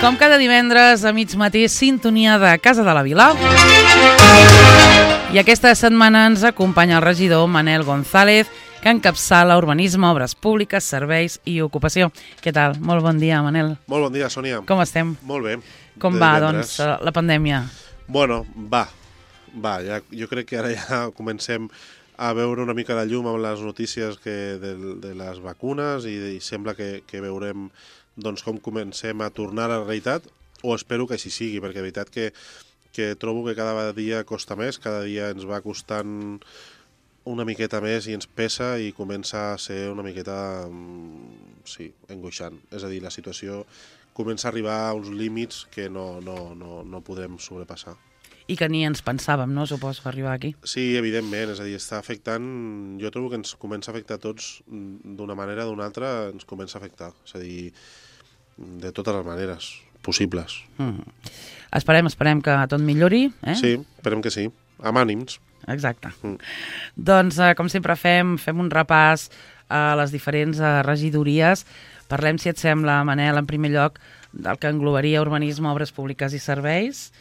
Com cada divendres a mig matí, sintonia de Casa de la Vila. I aquesta setmana ens acompanya el regidor Manel González, que encapçala urbanisme, obres públiques, serveis i ocupació. Què tal? Molt bon dia, Manel. Molt bon dia, Sònia. Com estem? Molt bé. Com va, doncs, la pandèmia? Bueno, va. Ja, jo crec que ara ja comencem a veure una mica de llum amb les notícies de les vacunes i sembla que veurem doncs, com comencem a tornar a la realitat, o espero que així sigui, perquè de veritat que trobo que cada dia costa més, cada dia ens va costant una miqueta més i ens pesa i comença a ser una miqueta, sí, angoixant. És a dir, la situació comença a arribar a uns límits que no podrem sobrepassar. I que ni ens pensàvem, no? Suposo, arribar aquí. Sí, evidentment, és a dir, està afectant, jo trobo que ens comença a afectar a tots d'una manera o d'una altra, ens comença a afectar, és a dir, de totes les maneres possibles. Esperem que tot millori, eh? Sí, esperem que sí, amb ànims. Exacte. Doncs, com sempre fem un repàs a les diferents regidories. Parlem, si et sembla, Manel, en primer lloc, del que englobaria urbanisme, obres públiques i serveis.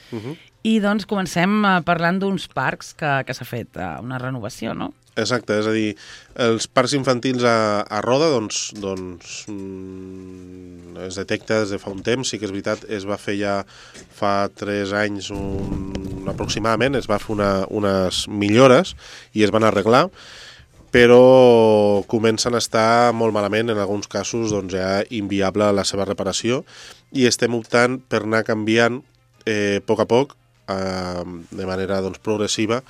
I doncs comencem parlant d'uns parcs que s'ha fet una renovació, no? Exacte, és a dir, els parcs infantils a Roda doncs es detecta des de fa un temps, sí que és veritat, es va fer ja fa 3 anys aproximadament, es va fer unes millores i es van arreglar, però comencen a estar molt malament, en alguns casos doncs, ja inviable la seva reparació, i estem optant per anar canviant a poc, de manera doncs, progressiva,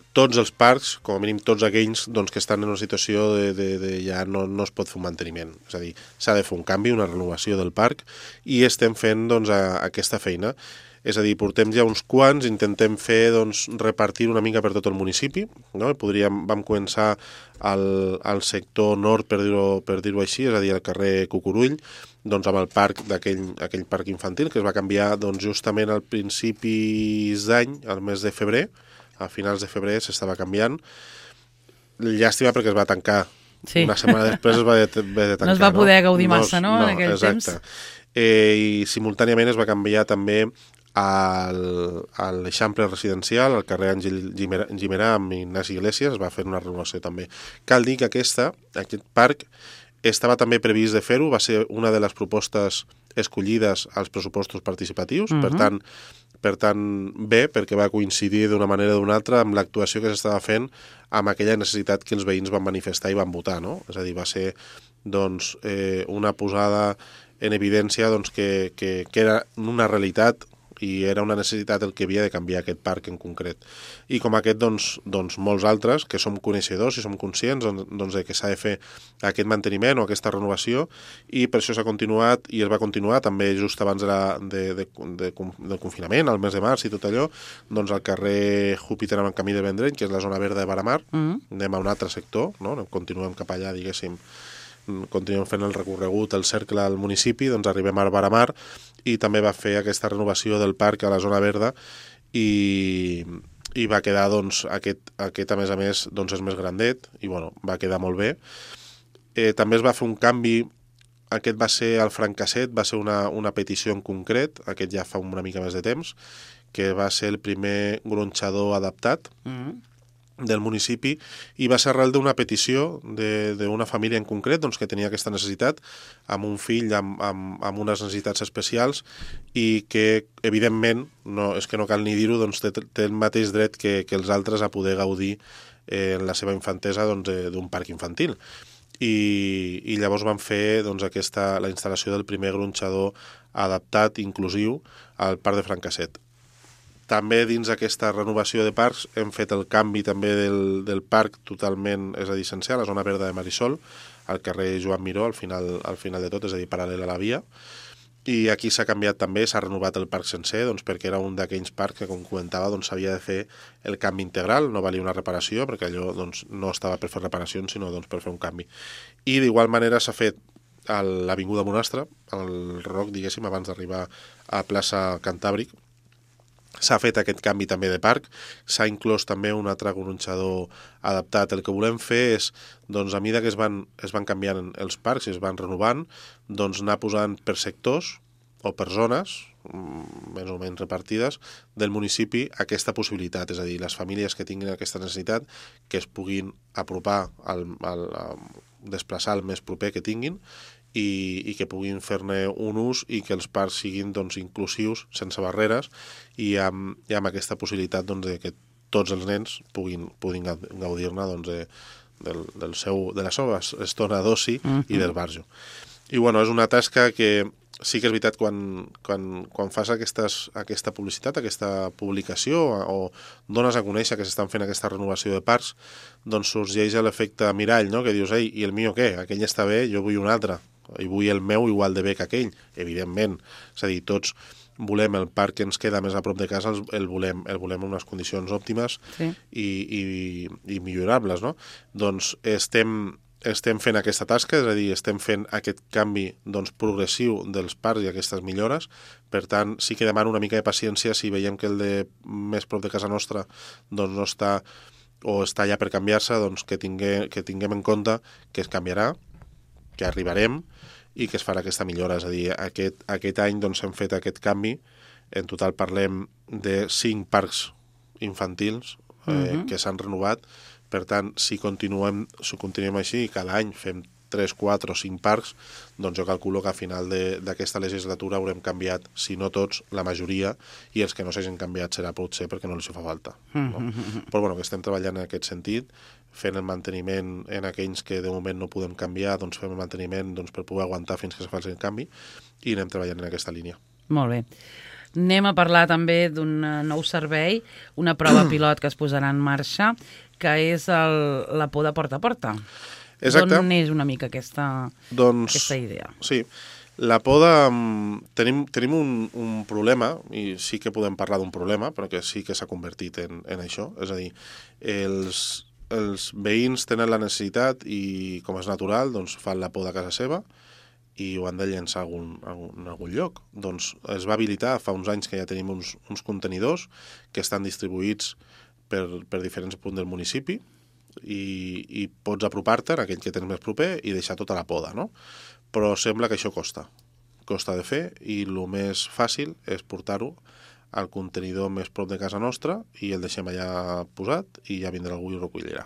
tots els parcs, com a mínim tots aquells doncs, que estan en una situació de ja no es pot fer un manteniment. És a dir, s'ha de fer un canvi, una renovació del parc, i estem fent doncs, aquesta feina. És a dir, portem ja uns quants, intentem fer, doncs, repartir una mica per tot el municipi, no? Vam començar al sector nord, per dir-ho així, és a dir, al carrer Cucurull, doncs, amb el parc aquell parc infantil, que es va canviar doncs, justament al principis d'any, al mes de febrer, a finals de febrer s'estava canviant. Llàstima perquè es va tancar. Sí. Una setmana després es va haver de tancar. No es va poder gaudir massa, no? En aquell temps. I simultàniament es va canviar també a l'Eixample residencial, al carrer Àngel Gimerà amb Ignasi Iglesias, es va fer una renovació també. Cal dir que aquest parc estava també previst de fer-ho, va ser una de les propostes escollides als pressupostos participatius, per tant, bé, perquè va coincidir d'una manera o d'una altra amb l'actuació que s'estava fent amb aquella necessitat que els veïns van manifestar i van votar, no? És a dir, va ser doncs, una posada en evidència doncs, que era una realitat i era una necessitat el que havia de canviar aquest parc en concret. I com aquest, doncs molts altres, que som coneixedors i som conscients doncs, que s'ha de fer aquest manteniment o aquesta renovació, i per això s'ha continuat i es va continuar també just abans del confinament, al mes de març i tot allò, doncs al carrer Júpiter amb el camí de Vendrell, que és la zona verda de Varamar, anem a un altre sector, no? Continuem cap allà, diguéssim, continuem fent el recorregut, el cercle al municipi, doncs arribem a Varamar i també va fer aquesta renovació del parc a la zona verda i va quedar, doncs, aquest a més, doncs és més grandet i bueno, va quedar molt bé. També es va fer un canvi, aquest va ser al Francasset, va ser una petició en concret, aquest ja fa una mica més de temps, que va ser el primer gronxador adaptat del municipi, i va ser arrel d'una petició d'una família en concret doncs, que tenia aquesta necessitat, amb un fill amb unes necessitats especials i que, evidentment, és que no cal ni dir-ho, doncs, té el mateix dret que els altres a poder gaudir en la seva infantesa d'un parc infantil. I llavors van fer doncs, la instal·lació del primer gronxador adaptat, inclusiu, al parc de Francasset. També dins d'aquesta renovació de parcs hem fet el canvi també del parc totalment, és a dir, sencer, a la zona verda de Marisol, al carrer Joan Miró, al final de tot, és a dir, paral·lel a la via. I aquí s'ha canviat també, s'ha renovat el parc sencer, doncs, perquè era un d'aquells parcs que, com comentava, doncs, s'havia de fer el canvi integral, no valia una reparació, perquè allò doncs, no estava per fer reparacions, sinó doncs, per fer un canvi. I d'igual manera s'ha fet a l'Avinguda Monastre, al Roc, diguéssim, abans d'arribar a plaça Cantàbric, s'ha fet aquest canvi també de parc, s'ha inclòs també un altre gronxador adaptat. El que volem fer és, doncs, a mesura que es van canviant els parcs i es van renovant, doncs anar posant per sectors o per zones, més o menys repartides, del municipi aquesta possibilitat. És a dir, les famílies que tinguin aquesta necessitat que es puguin apropar, desplaçar el més proper que tinguin i que puguin fer-ne un ús i que els parcs siguin doncs, inclusius, sense barreres i amb aquesta possibilitat doncs, de que tots els nens puguin gaudir-ne doncs, de la seva estona d'oci i d'esbarjo. I bueno, és una tasca que sí que és veritat quan fas aquesta publicitat, aquesta publicació o dones a conèixer que s'estan fent aquesta renovació de parcs, doncs sorgeix l'efecte mirall, no? Que dius, ei, i el meu què? Aquell està bé, jo vull un altre, i vull el meu igual de bé que aquell, evidentment. És a dir, tots volem el parc que ens queda més a prop de casa, el volem en unes condicions òptimes i millorables, no? Doncs estem fent aquesta tasca, és a dir, estem fent aquest canvi doncs, progressiu dels parcs i aquestes millores. Per tant, sí que demano una mica de paciència si veiem que el de més prop de casa nostra doncs, no està o està ja per canviar-se, doncs, que tinguem en compte que es canviarà, que arribarem i que es farà aquesta millora. És a dir, aquest any doncs, hem fet aquest canvi. En total parlem de 5 parcs infantils que s'han renovat. Per tant, si continuem així i cada any fem 3, 4 o 5 parcs, doncs jo calculo que a final d'aquesta legislatura haurem canviat, si no tots, la majoria, i els que no s'hagin canviat serà potser perquè no els fa falta. No? Però bueno, que estem treballant en aquest sentit, fent el manteniment en aquells que de moment no podem canviar, doncs fem el manteniment doncs, per poder aguantar fins que se faci el canvi, i anem treballant en aquesta línia. Molt bé. Anem a parlar també d'un nou servei, una prova pilot que es posarà en marxa, que és la poda porta a porta. Exacte. D'on neix una mica aquesta idea? Sí, la poda... Tenim un problema, i sí que podem parlar d'un problema, però que sí que s'ha convertit en això. És a dir, els veïns tenen la necessitat i, com és natural, doncs fan la poda a casa seva i ho han de llençar en algun lloc. Doncs es va habilitar fa uns anys que ja tenim uns contenidors que estan distribuïts per diferents punts del municipi i pots apropar-te a aquell que tens més proper i deixar tota la poda, no? Però sembla que això costa de fer i el més fàcil és portar-ho al contenidor més prop de casa nostra i el deixem allà posat i ja vindrà algú i ho recollirà.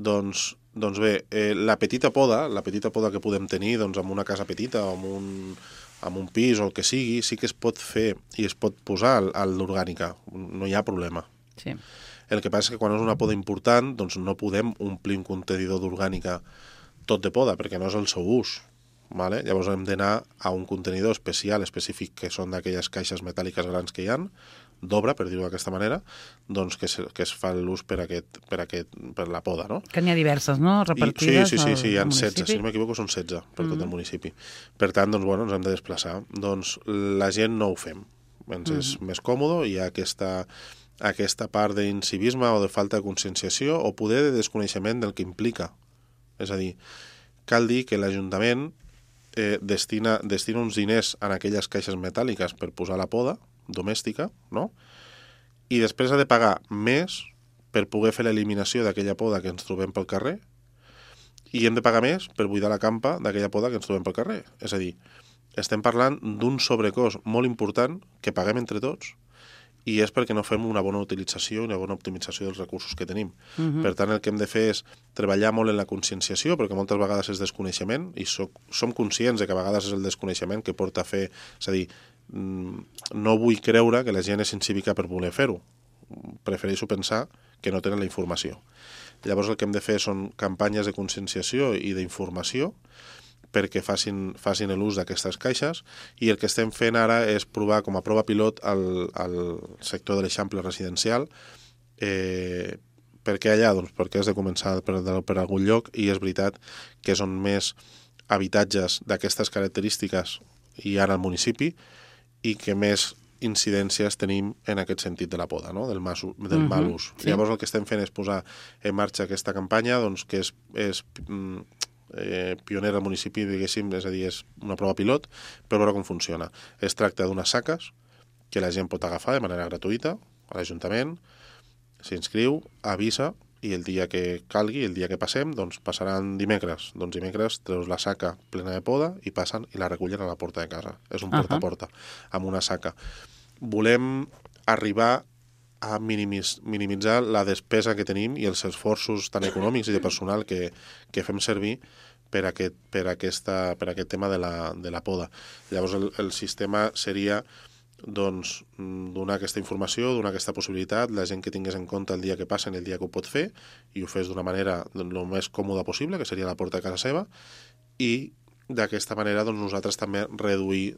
Doncs bé, la petita poda que podem tenir doncs, en una casa petita o en un pis o el que sigui, sí que es pot fer i es pot posar a l'orgànica, no hi ha problema. Sí. El que passa és que quan és una poda important doncs no podem omplir un contenidor d'orgànica tot de poda, perquè no és el seu ús. Vale? Llavors hem d'anar a un contenidor específic, que són d'aquelles caixes metàl·liques grans que hi ha, d'obra, per dir-ho d'aquesta manera, doncs que es fa l'ús per la poda, no? Que n'hi ha diverses, no?, repartides sí, hi ha 16, municipi. si no m'equivoco són 16 per tot el municipi. Per tant, doncs, bueno, ens hem de desplaçar. Doncs la gent no ho fem. Ens és més còmode, hi ha aquesta part d'incivisme o de falta de conscienciació o poder de desconeixement del que implica. És a dir, cal dir que l'Ajuntament destina uns diners en aquelles caixes metàl·liques per posar la poda domèstica, no? I després ha de pagar més per poder fer l'eliminació d'aquella poda que ens trobem pel carrer i hem de pagar més per buidar la campa d'aquella poda que ens trobem pel carrer. És a dir, estem parlant d'un sobrecost molt important que paguem entre tots i és perquè no fem una bona utilització i una bona optimització dels recursos que tenim. Per tant, el que hem de fer és treballar molt en la conscienciació, perquè moltes vegades és desconeixement, i som conscients de que a vegades és el desconeixement que porta a fer... És a dir, no vull creure que la gent és incívica per voler fer-ho. Prefereixo pensar que no tenen la informació. Llavors el que hem de fer són campanyes de conscienciació i d'informació perquè facin l'ús d'aquestes caixes i el que estem fent ara és provar com a prova pilot al sector de l'Eixample residencial perquè allà, doncs perquè has de començar per algun lloc i és veritat que és on més habitatges d'aquestes característiques hi ha al municipi i que més incidències tenim en aquest sentit de la poda, no? del mal ús. Sí. Llavors el que estem fent és posar en marxa aquesta campanya doncs, que és pionera al municipi, diguéssim, és a dir, és una prova pilot, per veure com funciona. Es tracta d'unes saques que la gent pot agafar de manera gratuïta a l'Ajuntament, s'inscriu, avisa i el dia que calgui, el dia que passem, doncs passaran dimecres. Doncs dimecres treus la saca plena de poda i passen i la recullen a la porta de casa. És un porta a porta, amb una saca. Volem arribar a minimitzar la despesa que tenim i els esforços tan econòmics i de personal que fem servir per aquest tema de la poda. Llavors el sistema seria doncs, donar aquesta informació, donar aquesta possibilitat, la gent que tingués en compte el dia que passen, el dia que ho pot fer, i ho fes d'una manera el més còmoda possible, que seria la porta de casa seva, i d'aquesta manera doncs, nosaltres també reduir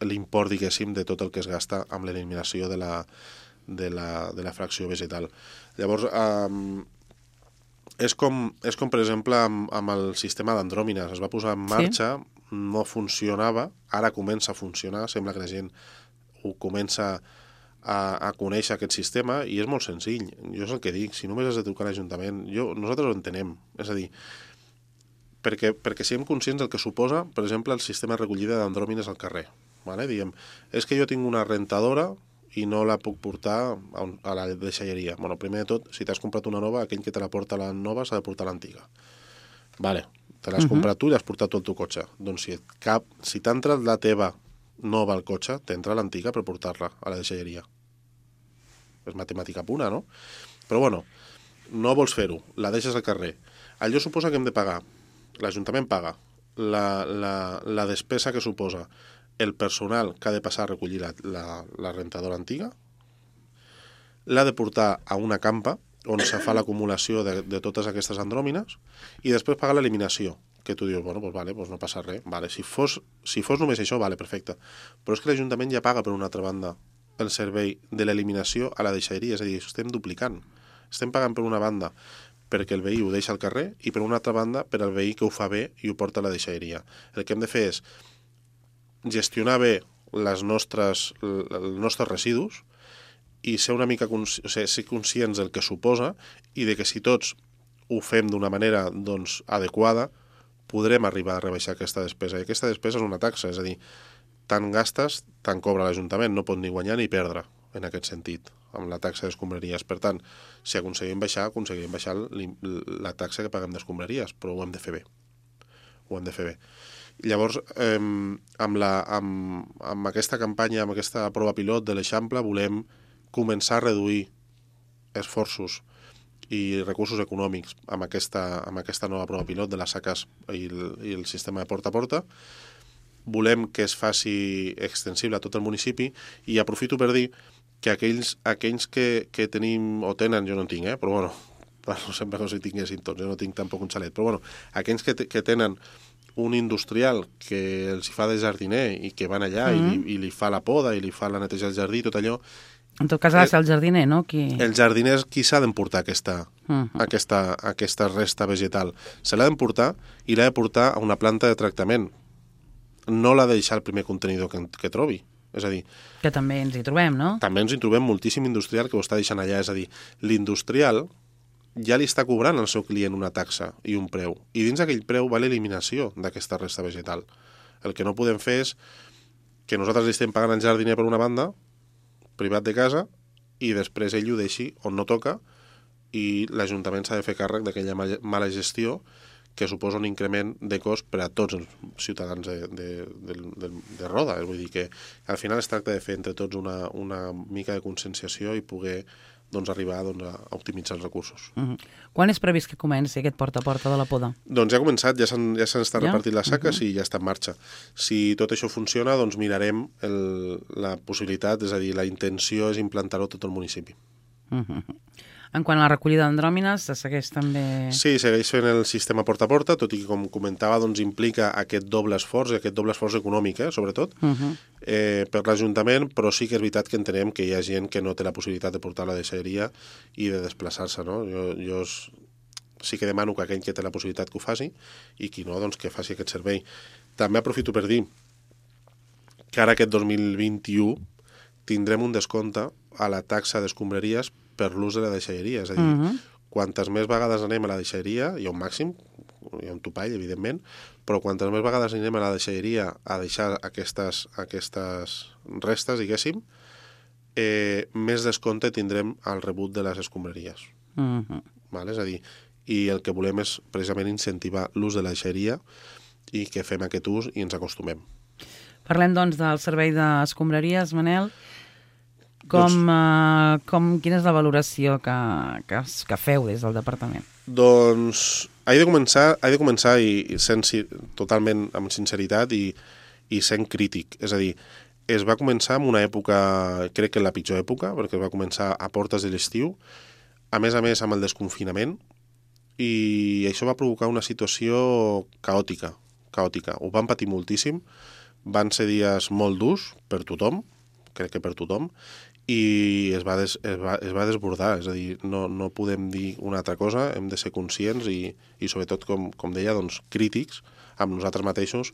l'import, diguéssim, de tot el que es gasta amb l'eliminació de la fracció vegetal. Llavors, és com per exemple, amb el sistema d'andròmines. Es va posar en marxa, no funcionava, ara comença a funcionar, sembla que la gent ho comença a conèixer aquest sistema, i és molt senzill. Jo és el que dic, si només has de trucar a l'Ajuntament, nosaltres ho entenem, és a dir, perquè siguem conscients del que suposa, per exemple, el sistema de recollida d'andròmines al carrer. Vale? Diem, és que jo tinc una rentadora i no la puc portar a la deixalleria. Bueno, primer de tot, si t'has comprat una nova, aquell que te la porta la nova s'ha de portar l'antiga. Vale, te l'has comprat tu i l'has portat tot el teu cotxe. Doncs si t'ha entrat la teva nova al cotxe, t'entra l'antiga per portar-la a la deixalleria. És matemàtica pura, no? Però bueno, no vols fer-ho, la deixes al carrer. Allò suposa que hem de pagar. L'Ajuntament paga la despesa que suposa el personal que ha de passar a recollir la rentadora antiga, l'ha de portar a una campa on se fa l'acumulació de totes aquestes andròmines, i després pagar l'eliminació, que tu dius, bueno, doncs vale, doncs no passa res. Vale, si fos només això, vale, perfecte. Però és que l'Ajuntament ja paga, per una altra banda, el servei de l'eliminació a la deixalleria, és a dir, estem duplicant. Estem pagant per una banda perquè el veí ho deixa al carrer, i per una altra banda per al veí que ho fa bé i ho porta a la deixalleria. El que hem de fer és gestionar bé els nostres residus i ser una mica ser conscients del que suposa, i de que si tots ho fem d'una manera doncs, adequada, podrem arribar a rebaixar aquesta despesa. I aquesta despesa és una taxa, és a dir, tant gastes, tant cobra l'Ajuntament, no pot ni guanyar ni perdre en aquest sentit, amb la taxa d'escombraries. Per tant, si aconseguim baixar la taxa que paguem d'escombraries, però ho hem de fer bé. Ho hem de fer bé. Llavors, amb aquesta campanya, amb aquesta prova pilot de l'Eixample, volem començar a reduir esforços i recursos econòmics amb aquesta nova prova pilot de les saques i el sistema de porta a porta. Volem que es faci extensible a tot el municipi, i aprofito per dir que aquells que tenim o tenen, jo no en tinc, però bueno, sempre com si tinguéssim tots, jo no tinc tampoc un xalet, però bueno, aquells que tenen un industrial que els fa de jardiner i que van allà i li fa la poda i li fa la neteja del jardí i tot allò. En tot cas ha de ser el jardiner, no? El jardiner és qui s'ha d'emportar aquesta resta vegetal. Se l'ha d'emportar, i l'ha de portar a una planta de tractament. No l'ha de deixar el primer contenidor que trobi. És a dir, que també ens hi trobem, no? També ens hi trobem moltíssim industrial que ho està deixant allà. És a dir, l'industrial ja li està cobrant al seu client una taxa i un preu, i dins d'aquell preu va l'eliminació d'aquesta resta vegetal. El que no podem fer és que nosaltres li estem pagant al jardiner per una banda, privat de casa, i després ell ho deixi on no toca, i l'Ajuntament s'ha de fer càrrec d'aquella mala gestió que suposa un increment de cost per a tots els ciutadans de Roda. Vull dir que al final es tracta de fer entre tots una mica de conscienciació i poder arribar a optimitzar els recursos. Quan és previst que comenci aquest porta a porta de la poda? Doncs ja ha començat, ja s'han estat repartint les saques i ja està en marxa. Si tot això funciona, doncs mirarem la possibilitat, és a dir, la intenció és implantar-ho a tot el municipi. En quant a la recollida d'andròmines, se segueix també... Sí, segueix fent el sistema porta a porta, tot i que, com comentava, implica aquest doble esforç, i aquest doble esforç econòmic, sobretot, per l'Ajuntament, però sí que és veritat que entenem que hi ha gent que no té la possibilitat de portar la deixalleria i de desplaçar-se, no? Jo sí que demano que aquell que té la possibilitat que ho faci, i qui no, doncs que faci aquest servei. També aprofito per dir que ara aquest 2021 tindrem un descompte a la taxa d'escombraries per l'ús de la deixalleria. És a dir, quantes més vegades anem a la deixalleria, hi ha un màxim, hi ha un topall, evidentment, però quantes més vegades anem a la deixalleria a deixar aquestes restes, diguéssim, més descompte tindrem al rebut de les escombraries. Vale? És a dir, i el que volem és precisament incentivar l'ús de la deixeria i que fem aquest ús i ens acostumem. Parlem, doncs, del servei d'escombraries, Manel. Quina és la valoració que feu des del departament? Doncs he de començar i sent totalment amb sinceritat i sent crític. És a dir, es va començar en una època, crec que la pitjor època, perquè es va començar a portes de l'estiu, a més amb el desconfinament, i això va provocar una situació caòtica. Ho van patir moltíssim, van ser dies molt durs per tothom, crec que per tothom, i es va desbordar, és a dir, no podem dir una altra cosa, hem de ser conscients i sobretot, com deia, doncs, crítics amb nosaltres mateixos,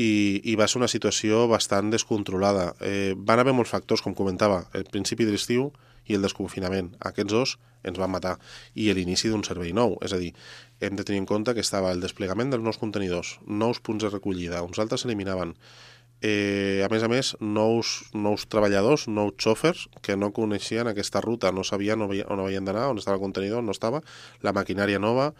i va ser una situació bastant descontrolada. Van haver molts factors, com comentava, el principi de l'estiu i el desconfinament. Aquests dos ens van matar. I l'inici d'un servei nou, és a dir, hem de tenir en compte que estava el desplegament dels nous contenidors, nous punts de recollida, uns altres s'eliminaven, a més, nous treballadors, nous xòfers que no coneixien aquesta ruta, no sabien on havien d'anar, on estava el contenidor, no estava, la maquinària nova,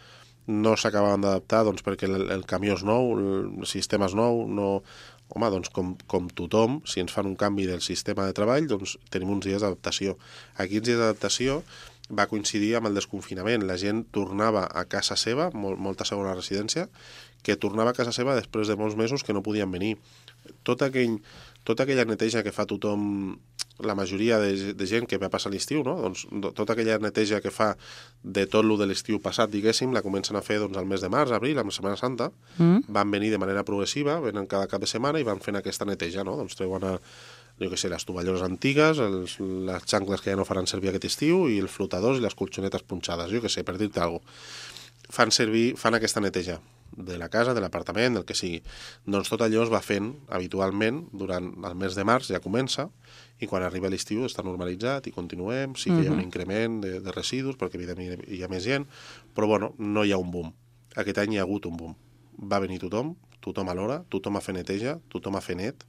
no s'acabaven d'adaptar doncs, perquè el camió és nou, el sistema és nou, no... Home, doncs com tothom, si ens fan un canvi del sistema de treball, doncs tenim uns dies d'adaptació. Aquests dies d'adaptació va coincidir amb el desconfinament. La gent tornava a casa seva, molta segona residència, que tornava a casa seva després de molts mesos que no podien venir. Tota aquella neteja que fa tothom, la majoria de gent que va passar l'estiu, no? Doncs, tota aquella neteja que fa de tot lo de l'estiu passat, diguéssim, la comencen a fer doncs, al mes de març, abril, amb la Setmana Santa, van venir de manera progressiva, venen cada cap de setmana i van fent aquesta neteja, no? Doncs treuen les tovalloles antigues, les xancles que ja no faran servir aquest estiu i els flotadors i les colxonetes punxades, per dir-te alguna cosa. Fan aquesta neteja de la casa, de l'apartament, del que sigui. Doncs tot allò es va fent habitualment durant el mes de març, ja comença, i quan arriba l'estiu està normalitzat i continuem, sí que hi ha un increment de residus, perquè evidentment hi ha més gent, però bueno, no hi ha un boom. Aquest any hi ha hagut un boom. Va venir tothom a l'hora, tothom a fer neteja, tothom a fer net,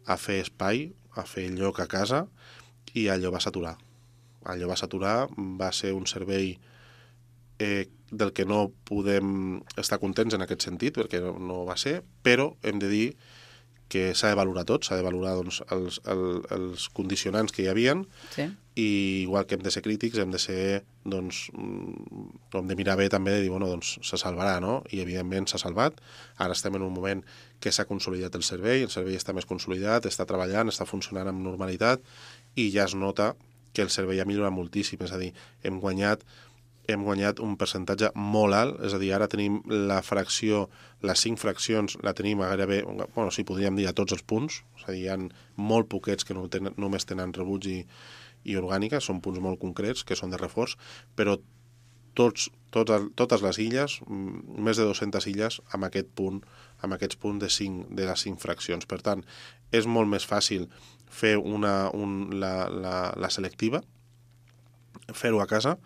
a fer espai, a fer lloc a casa, i allò va saturar. Va ser un servei del que no podem estar contents en aquest sentit, perquè no va ser, però hem de dir que s'ha de valorar tot, s'ha de valorar doncs, els condicionants que hi havien, sí. I igual que hem de ser crítics, hem de ser, doncs, hem de mirar bé també de dir, bueno, doncs se salvarà, no? I evidentment s'ha salvat. Ara estem en un moment que s'ha consolidat el servei està més consolidat, està treballant, està funcionant amb normalitat, i ja es nota que el servei ha millorat moltíssim, és a dir, hem guanyat un percentatge molt alt, és a dir, ara tenim la fracció, les 5 fraccions, la tenim a gairebé, bueno, sí, podríem dir a tots els punts, és a dir, hi ha molt poquets que només tenen rebuig i orgànica, són punts molt concrets, que són de reforç, però totes les illes, més de 200 illes, amb aquests punts de les 5 fraccions. Per tant, és molt més fàcil fer la selectiva, fer-ho a casa,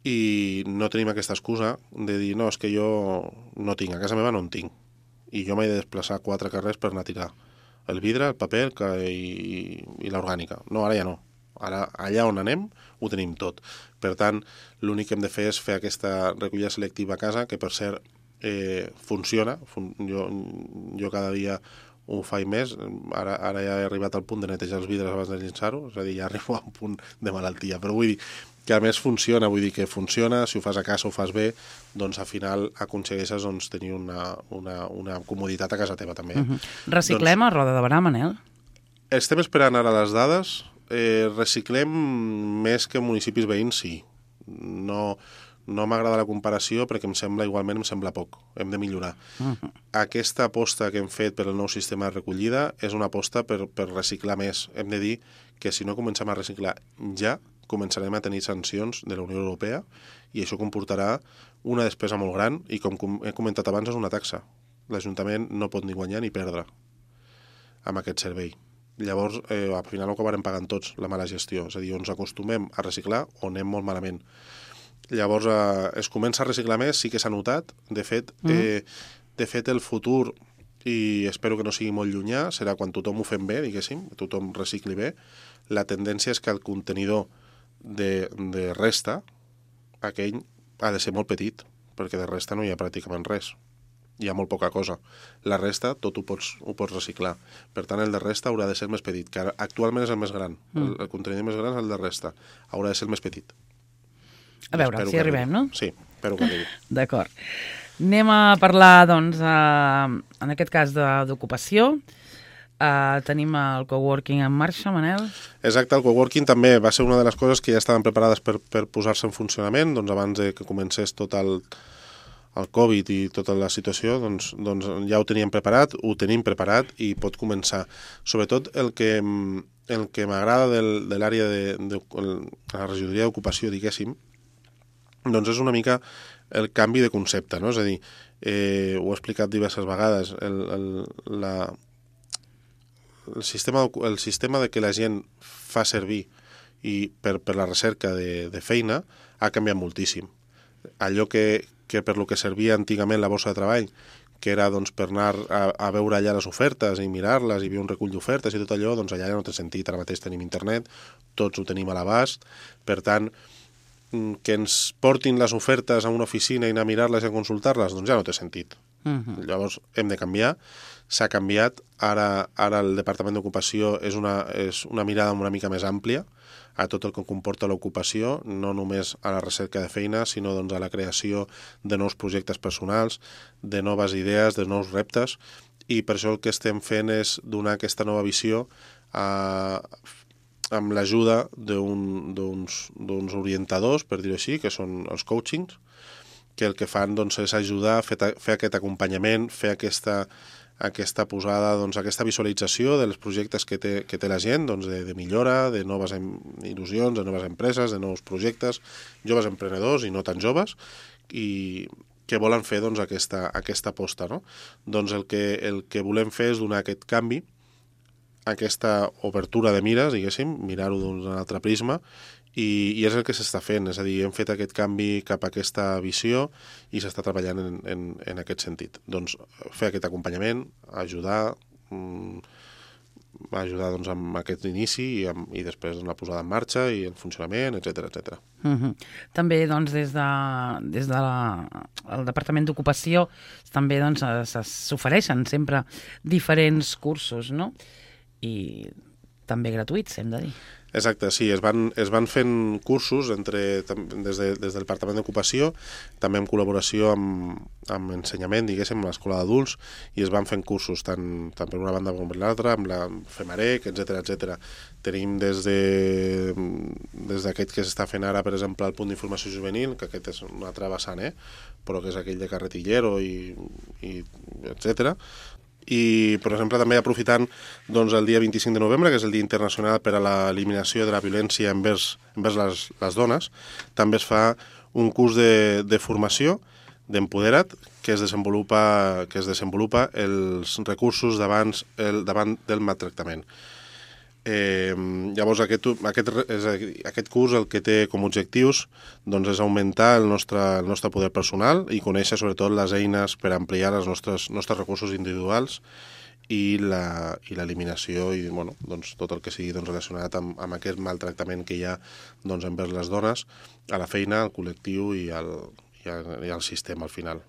i no tenim aquesta excusa de dir, no, és que jo no tinc, a casa meva no en tinc, i jo m'he de desplaçar 4 carrers per anar a tirar el vidre, el paper i l'orgànica. No, ara ja no. Ara, allà on anem, ho tenim tot. Per tant, l'únic que hem de fer és fer aquesta recollida selectiva a casa, que per cert funciona. Jo cada dia ho faig més. Ara ja he arribat al punt de netejar els vidres abans de llençar-ho, és a dir, ja arribo a un punt de malaltia. Però vull dir que a més funciona, si ho fas a casa, ho fas bé, doncs al final aconsegueixes tenir una comoditat a casa teva també. Reciclem a Roda de Berà, Manel? Estem esperant ara les dades. Reciclem més que municipis veïns, sí. No m'agrada la comparació perquè em sembla poc. Hem de millorar. Aquesta aposta que hem fet per el nou sistema de recollida és una aposta per reciclar més. Hem de dir que si no comencem a reciclar ja, començarem a tenir sancions de la Unió Europea i això comportarà una despesa molt gran i, com he comentat abans, és una taxa. L'Ajuntament no pot ni guanyar ni perdre amb aquest servei. Llavors, al final ho acabarem pagant tots, la mala gestió. És a dir, ens acostumem a reciclar o anem molt malament. Llavors, es comença a reciclar més, sí que s'ha notat. De fet, el futur i espero que no sigui molt llunyà, serà quan tothom ho fem bé, diguéssim, tothom recicli bé. La tendència és que el contenidor de resta, aquell ha de ser molt petit, perquè de resta no hi ha pràcticament res. Hi ha molt poca cosa. La resta, tot ho pots reciclar. Per tant, el de resta haurà de ser més petit, que actualment és el més gran. El contenidor més gran és el de resta. Haurà de ser el més petit. A veure, si arribem, no? Sí, espero que arribi. D'acord. Anem a parlar, doncs, en aquest cas d'ocupació. Tenim el coworking en marxa, Manel? Exacte, el coworking també va ser una de les coses que ja estaven preparades per posar-se en funcionament, doncs abans de que comencés tot el Covid i tota la situació, doncs ja ho teníem preparat, ho tenim preparat i pot començar. Sobretot el que m'agrada de l'àrea de la regidoria d'ocupació, diguéssim, doncs és una mica el canvi de concepte, no? És a dir, ho he explicat diverses vegades, el sistema de que la gent fa servir i per la recerca de feina ha canviat moltíssim. Allò que per lo que servia antigament la borsa de treball, que era doncs, per anar a veure allà les ofertes i mirar-les i hi havia un recull d'ofertes i tot allò, doncs allà ja no té sentit. Ara mateix tenim internet, tots ho tenim a l'abast, per tant, que ens portin les ofertes a una oficina i anar a mirar-les i a consultar-les, doncs ja no té sentit. Llavors hem de canviar. S'ha canviat, ara el Departament d'Ocupació és una mirada una mica més àmplia a tot el que comporta l'ocupació, no només a la recerca de feina, sinó doncs, a la creació de nous projectes personals, de noves idees, de nous reptes, i per això el que estem fent és donar aquesta nova visió amb l'ajuda d'uns orientadors, per dir-ho així, que són els coachings, que el que fan doncs, és ajudar a fer aquest acompanyament, fer aquesta posada, doncs, aquesta visualització dels projectes que té la gent, doncs, de millora, de noves il·lusions, de noves empreses, de nous projectes, joves emprenedors i no tan joves, i que volen fer doncs, aquesta aposta. No? Doncs el que volem fer és donar aquest canvi, aquesta obertura de mires, diguéssim, mirar-ho d'un altre prisma, i és el que s'està fent, és a dir, hem fet aquest canvi cap a aquesta visió i s'està treballant en aquest sentit. Doncs fer aquest acompanyament, ajudar doncs, amb aquest inici i després la posada en marxa i el funcionament, etc. També doncs, des del Departament d'Ocupació també doncs, s'ofereixen sempre diferents cursos, no? I també gratuïts, hem de dir. Exacte, sí, es van fent cursos des del Departament d'Ocupació, també en col·laboració amb ensenyament, diguéssim, amb l'Escola d'Adults, i es van fent cursos tant per una banda com per l'altra, amb la FEMAREC, etc. Tenim des d'aquest que s'està fent ara, per exemple, el punt d'informació juvenil, que aquest és un altre vessant, però que és aquell de carretillero i etc. I, per exemple, també aprofitant doncs, el dia 25 de novembre, que és el Dia Internacional per a l'Eliminació de la Violència envers les dones, també es fa un curs de formació d'Empodera't que es desenvolupa els recursos davant del maltractament. Llavors aquest curs el que té com a objectius doncs, és augmentar el nostre poder personal i conèixer sobretot les eines per ampliar els nostres recursos individuals i l'eliminació i doncs, tot el que sigui doncs, relacionat amb aquest maltractament que hi ha doncs, envers les dones a la feina, al col·lectiu i al sistema al final.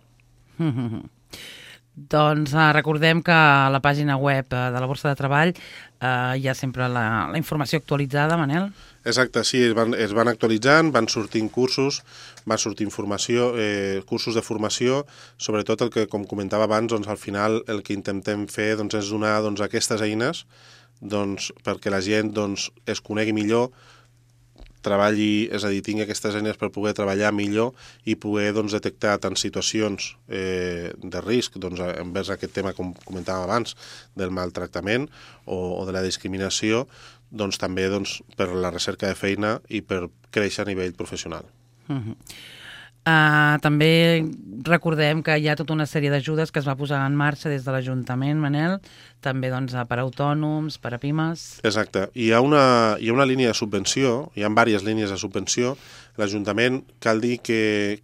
Doncs recordem que a la pàgina web de la Borsa de Treball hi ha sempre la informació actualitzada, Manel. Exacte, sí, es van actualitzant, van sortint cursos, va sortir informació, cursos de formació, sobretot el que, com comentava abans, doncs, al final el que intentem fer doncs, és donar doncs, aquestes eines doncs, perquè la gent doncs, es conegui millor, treballi, és a dir, tingui aquestes eines per poder treballar millor i poder doncs, detectar tant situacions de risc doncs, envers aquest tema, com comentàvem abans, del maltractament o de la discriminació, doncs, també doncs, per la recerca de feina i per créixer a nivell professional. També recordem que hi ha tota una sèrie d'ajudes que es va posar en marxa des de l'Ajuntament, Manel, també doncs, per a autònoms, per a pimes. Exacte. Hi ha una línia de subvenció, hi ha diverses línies de subvenció. L'Ajuntament cal dir que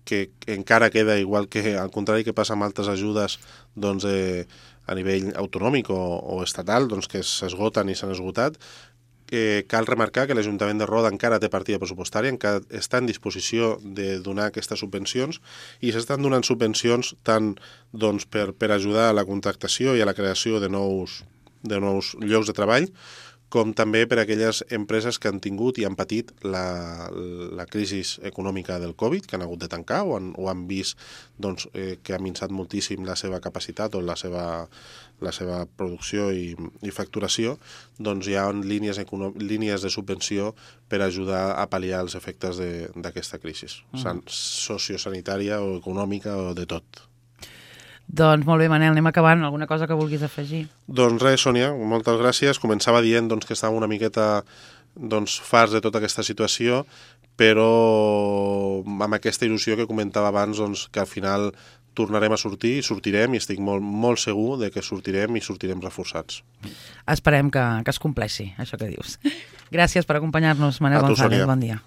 encara queda, igual que al contrari que passa amb altres ajudes, doncs, a nivell autonòmic o estatal doncs, que s'esgoten i s'han esgotat. Cal remarcar que l'Ajuntament de Roda encara té partida pressupostària, encara està en disposició de donar aquestes subvencions i s'estan donant subvencions tant doncs, per ajudar a la contractació i a la creació de nous llocs de treball, com també per a aquelles empreses que han tingut i han patit la crisi econòmica del Covid, que han hagut de tancar o han vist doncs, que ha minçat moltíssim la seva capacitat o la seva producció i facturació, doncs hi ha línies de subvenció per ajudar a pal·liar els efectes d'aquesta crisi, sociosanitària o econòmica o de tot. Doncs molt bé, Manel, anem acabant. Alguna cosa que vulguis afegir? Doncs res, Sònia, moltes gràcies. Començava dient doncs, que estàvem una miqueta farts de tota aquesta situació, però amb aquesta il·lusió que comentava abans, doncs, que al final tornarem a sortir i sortirem, i estic molt, molt segur de que sortirem i sortirem reforçats. Esperem que es compleixi, això que dius. Gràcies per acompanyar-nos, Manel González. Bon dia.